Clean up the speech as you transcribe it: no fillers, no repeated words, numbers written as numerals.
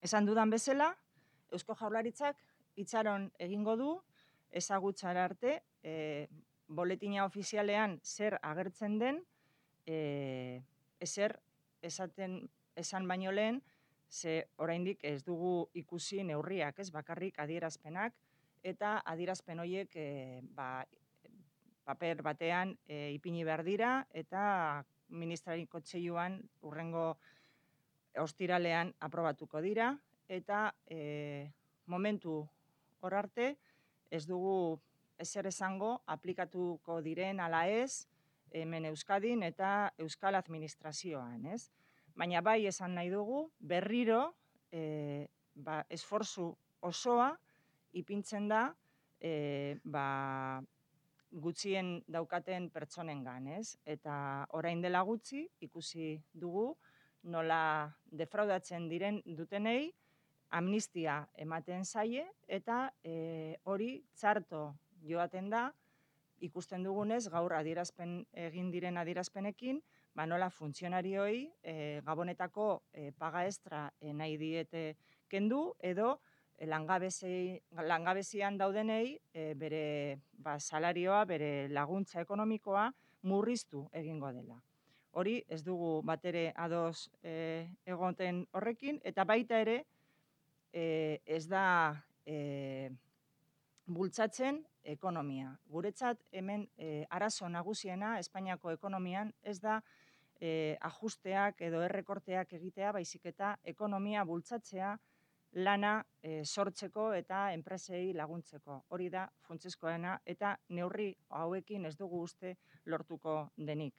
Esan dudan bezala, Eusko Jaurlaritzak itxaron egingo du ezagutzara arte boletina ofizialean zer agertzen den, ezer esan baino lehen, ze oraindik ez dugu ikusi neurriak, ez bakarrik adierazpenak, eta adierazpen horiek paper batean ipini behar dira, eta Ministrari Kontseiluan hurrengo ostiralean aprobatuko dira, eta momentu hor arte ez dugu ezer esango aplikatuko diren ala ez hemen Euskadin eta Euskal Administrazioan, ez? Baina bai esan nahi dugu berriro esfortzu osoa ipintzen da gutxien daukaten pertsonengan, ez? Eta orain dela gutxi ikusi dugu nola defraudatzen dutenei amnistia ematen zaie eta hori txarto joaten da ikusten dugunez gaur egin diren adierazpenekin, nola funtzionarioei Gabonetako paga extra nahi diete kendu edo langabezian daudenei bere salarioa, bere laguntza ekonomikoa murriztu egingo dela. Hori ez dugu batere ados egoten horrekin, eta baita ere ez da bultzatzen ekonomia. Guretzat hemen arazo nagusiena Espainiako ekonomian ez da ajusteak edo errekorteak egitea, baizik eta ekonomia bultzatzea, lana sortzeko eta enpresei laguntzeko. Hori da funtsezkoena eta neurri hauekin ez dugu uste lortuko denik.